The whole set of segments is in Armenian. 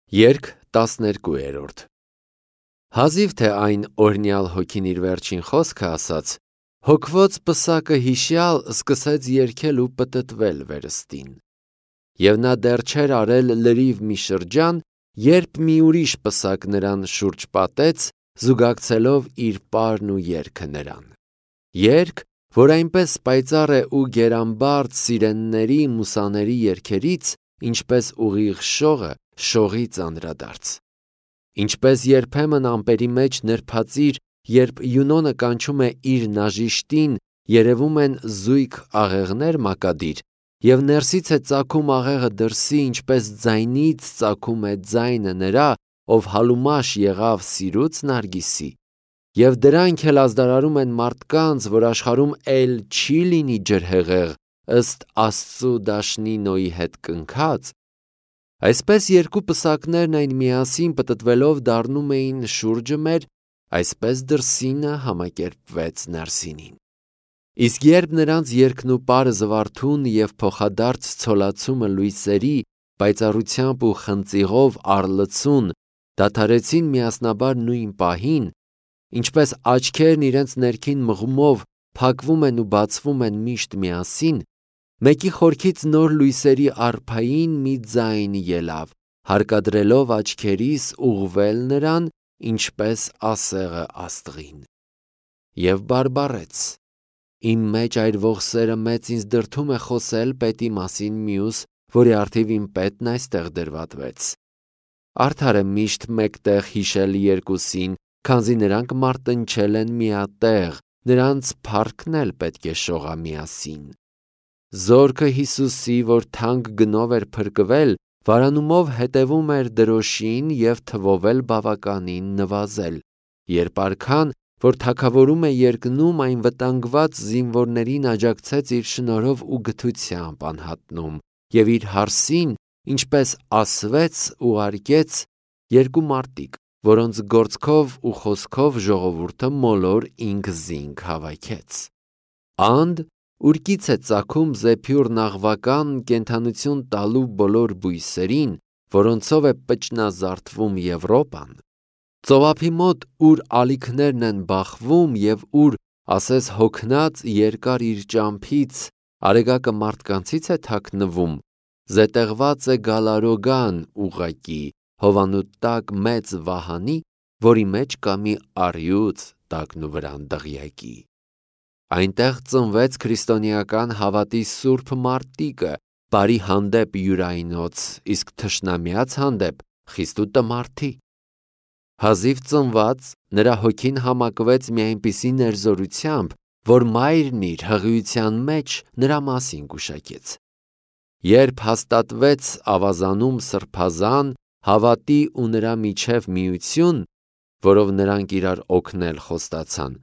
Երգ 12-րդ Հազիվ թե այն օրհնյալ հոգին իր վերջին խոսքը ասաց, հոգվոց պսակը հիշյալ սկսեց երգել ու պտտվել վերստին։ Եվ նա դեռ չէր արել լրիվ մի շրջան, երբ մի ուրիշ պսակ նրան շուրջ պատեց, զուգակցելով իր պարն ու երգը նրան։ Երգ, որ այնպես պայծառ է ու գերամբարձ սիրենների մուսաների երգերից, ինչպես ուղիղ շողը շողից անդրադարձ։ Ինչպես երբեմն ամպերի մեջ նրբածիր, երբ Յունոնը կանչում է իր նաժիշտին, երևում են զույգ աղեղներ մակադիր, և ներսից է ծագում աղեղը դրսի, ինչպես ձայնից ծագում է ձայնը նրա, ով հալումաշ եղավ սիրուց Նարգիսի, և դրանք էլ ազդարարում են մարդկանց, որ աշխարհում էլ չի լինի ջրհեղեղ, ըստ Աստծու դաշնի Նոյի հետ կնքած, այսպես երկու պսակներն այն միասին պտտվելով դառնում էին շուրջը մեր, այսպես դրսինը համակերպվեց ներսինին։ Իսկ երբ նրանց երգն ու պարը զվարթուն և փոխադարձ ցոլացումը լույսերի, պայծառությամբ ու խնձիղով առլցուն դադարեցին միասնաբար նույն պահին, ինչպես աչքերն իրենց ներքին մղումով փակվում են ու բացվում են միշտ միասին, մեկի խորքից նոր լույսերի արփային մի ձայն ելավ, հարկադրելով աչքերիս ուղղվել նրան, ինչպես ասեղը աստղին։ Եվ բարբառեց. իմ մեջ այրվող սերը մեծ ինձ դրդում է խոսել պետի մասին մյուս, որի առթիվ իմ պետն այստեղ դրվատվեց։ Արդար է միշտ մեկտեղ հիշել երկուսին, քանզի նրանք մարտնչել են միատեղ, նրանց փառքն էլ պետք է շողա միասին։ Զորքը Հիսուսի, որ թանկ գնով էր փրկվել, վարանումով հետևում էր դրոշին և թվով էլ բավականին նվազել, երբ արքան, որ թագավորում է երկնում, այն վտանգված զինվորներին աջակցեց իր շնորհով ու գթությամբ անհատնում, և իր հարսին, ինչպես ասվեց, ուղարկեց երկու մարտիկ, որոնց գործքով ու խոսքով ժողովուրդը մոլոր ինքզինք հավաքեց։ Анд, ուրկից է ծագում զեփյուռ նաղվական կենդանություն տալու բոլոր բույսերին, որոնցով է պճնազարդվում Եվրոպան, ծովափի մոտ, ուր ալիքներն են բախվում և ուր, ասես հոգնած երկար իր ճամփից, արեգակը մարդկանցից է թաքնվում, զետեղված է գալարոգան ուղղակի, հովանու տակ մեծ վահանի, որի մեջ կա մի առյուծ տակնուվրան դղյակի։ Այնտեղ ծնվեց քրիստոնեական հավատի սուրբ մարտիկը, բարի հանդեպ յուրայնոց, իսկ թշնամյաց հանդեպ խիստ ու տմարդի։ Հազիվ ծնված, նրա հոգին համակվեց մի այնպիսի ներզորությամբ, որ մայրն իր հղիության մեջ նրա մասին գուշակեց։ Երբ հաստատվեց ավազանում սրբազան, հավատի ու նրա միջև միություն, որով նրանք իրար օգնել խոստացան,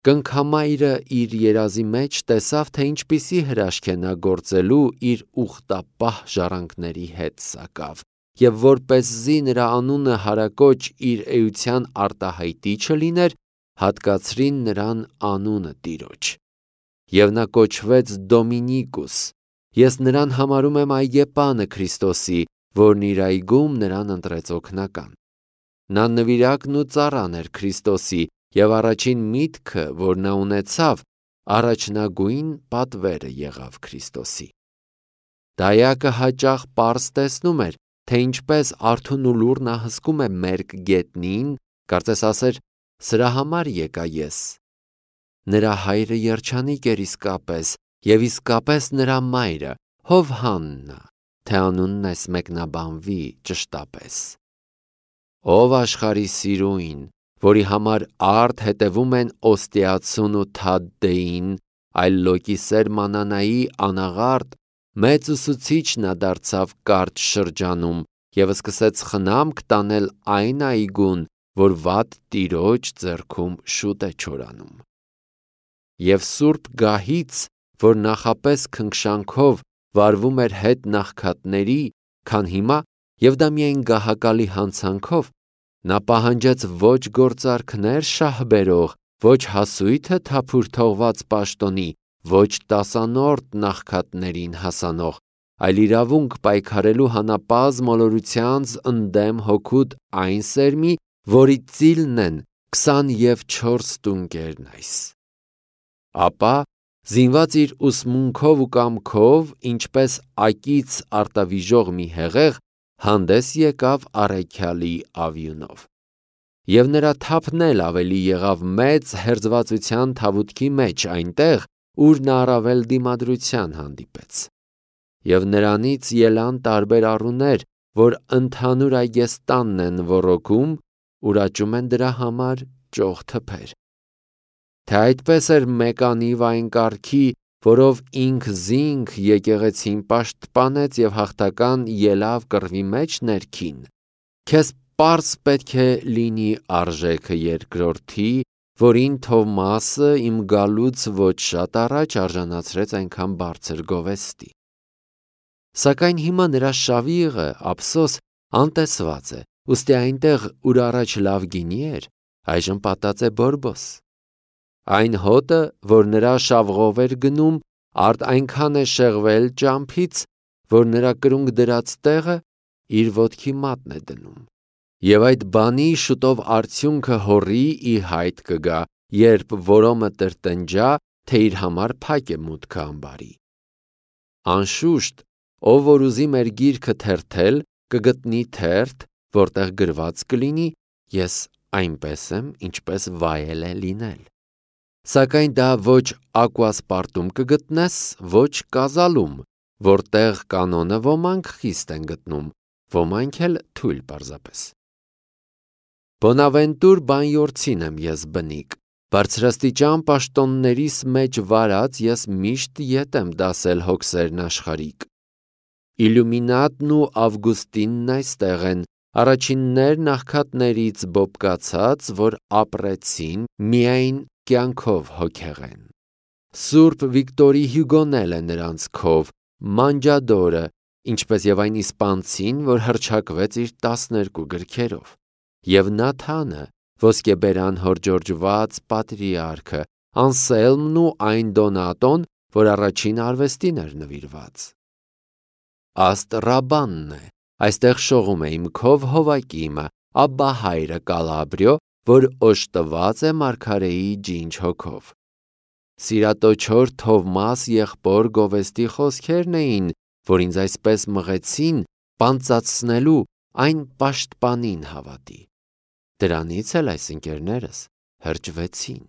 կնքամայրը իր երազի մեջ տեսավ, թե ինչպիսի հրաշք է նա գործելու իր ուխտապահ ժառանգների հետ սակավ, և որպեսզի նրա անունը հարակոչ իր էության արտահայտի չլիներ, հատկացրին նրան անունը Տիրոջ։ Եվ նա կոչվեց Դոմինիկուս, ես նրան համարում եմ այգեպանը Քրիստոսի, որն իր այգում նրան ընտրեց օգնական։ Նա նվիրակն ու ծառան էր Քրիստոսի, և առաջին միտքը, որ նա ունեցավ, առաջնագույն պատվերը եղավ Քրիստոսի։ Դայակը հաճախ պարզ տեսնում էր, թե ինչպես արթուն ու լուռ նա հսկում է մերկ գետնին, կարծես ասեր. սրա համար եկա ես։ Նրա հայրը երջանիկ էր իսկապես, և իսկապես նրա մայրը Հովհաննա, թե անունն այս մեկնաբանվի ճշտապես։ Ով աշխարհի սիրուին, որի համար արդ հետևում են Օստիացուն ու Թադդեին, այլ լոկիսեր մանանայի անաղարտ, մեծ ուսուցիչ նա դարձավ կարճ շրջանում և սկսեց խնամք տանել այն այգուն, որ վատ Տիրոջ ձեռքում շուտ է չորանում։ Եվ սուրբ գահից, որ նախապես քնքշանքով վարվում էր հետ նախքատների, քան հիմա, և դա միայն գահակալի հանցանքով, նա պահանջեց ոչ գործարքներ շահ բերող, ոչ հասույթը թափուր թողված պաշտոնի, ոչ տասանորդ նախքատներին հասանող, այլ իրավունք պայքարելու հանապազմ մոլորությանց ընդդեմ հոգուտ այն սերմի, որի ծիլն են 24 տունկերն այս։ Ապա, զինված իր ուսմունքով ու կամքով, ինչպես ակից արտավիժող մի հեղեղ, հանդես եկավ առաքյալի ավյունով։ Եվ նրա թափն էլ ավելի եղավ մեծ հերձվածության թավուտքի մեջ այնտեղ, ուր նա առավել դիմադրության հանդիպեց։ Եվ նրանից ելան տարբեր առուներ, որ ընդհանուր այգեստանն են ոռոգում, ուրաճում են դրա համար ճոխ թփեր։ Թե այդպես էր մեկանիվ այն կարգի, որով ինքզինք եկեղեցին պաշտպանեց և հաղթական ելավ կռվի մեջ ներքին, քեզ պարզ պետք է լինի արժեքը երկրորդի, որին Թովմասը իմ գալուց ոչ շատ առաջ արժանացրեց այնքան բարձր գովեստի։ Սակայն հիմա նրա շավիղը, ափսոս, անտեսված է, ուստի այնտեղ, ուր առաջ լավ գինի էր, այժմ պատած է բորբոս։ Այն հոտը, որ նրա շավղով էր գնում, արդ այնքան է շեղվել ճամփից, որ նրա կրունկ դրած տեղը իր ոտքի մատն է դնում։ Եվ այդ բանի շուտով արդյունքը հոռի ի հայտ կգա, երբ որոմը տրտնջա, թե իր համար փակ է մուտքը ամբարի։ Անշուշտ, ով որ ուզի մեր գիրքը թերթել, կգտնի թերթ, որտեղ գրված կլինի, ես այնպես եմ, ինչպես վայել է լինել։ Սակայն դա ոչ ակուասպարտում կգտնես, ոչ կազալում, որտեղ կանոնը ոմանք խիստ են գտնում, ոմանք էլ թույլ պարզապես։ Բոնավենտուր բանյորցին եմ ես բնիկ, բարձրաստիճան պաշտոններիս մեջ վարած ես միշտ ետ եմ դասել հոգսերն աշխարհիկ։ Իլյումինատն ու Ավգուստինն այստեղ են, առաջիններն աղքատներից բոբկացած, որ ապրեցին միայն կյանքով հոգեղեն։ Սուրբ Վիկտորի Հյուգոն էլ է նրանց քով, մանջադորը, ինչպես եւ այն իսպանցին, որ հռչակվեց իր 12 գրքերով, եւ Նաթանը, ոսկեբերան հորժորժված պատրիարքը, Անսելմն ու այն Դոնատոն, որ առաջին արվեստին էր նվիրված։ Աստրաբանն է, այստեղ շողում է իմ քով Հովակիմը, Աբբա հայրը Կալաբրիո, որ օժտված է մարգարեի ջինջ հոգով։ Սիրատոչոր Թովմաս եղբոր գովեստի խոսքերն էին, որ ինձ այսպես մղեցին պանծացնելու այն պաշտպանին հավատի։ Դրանից էլ այս ընկերներս հրճվեցին։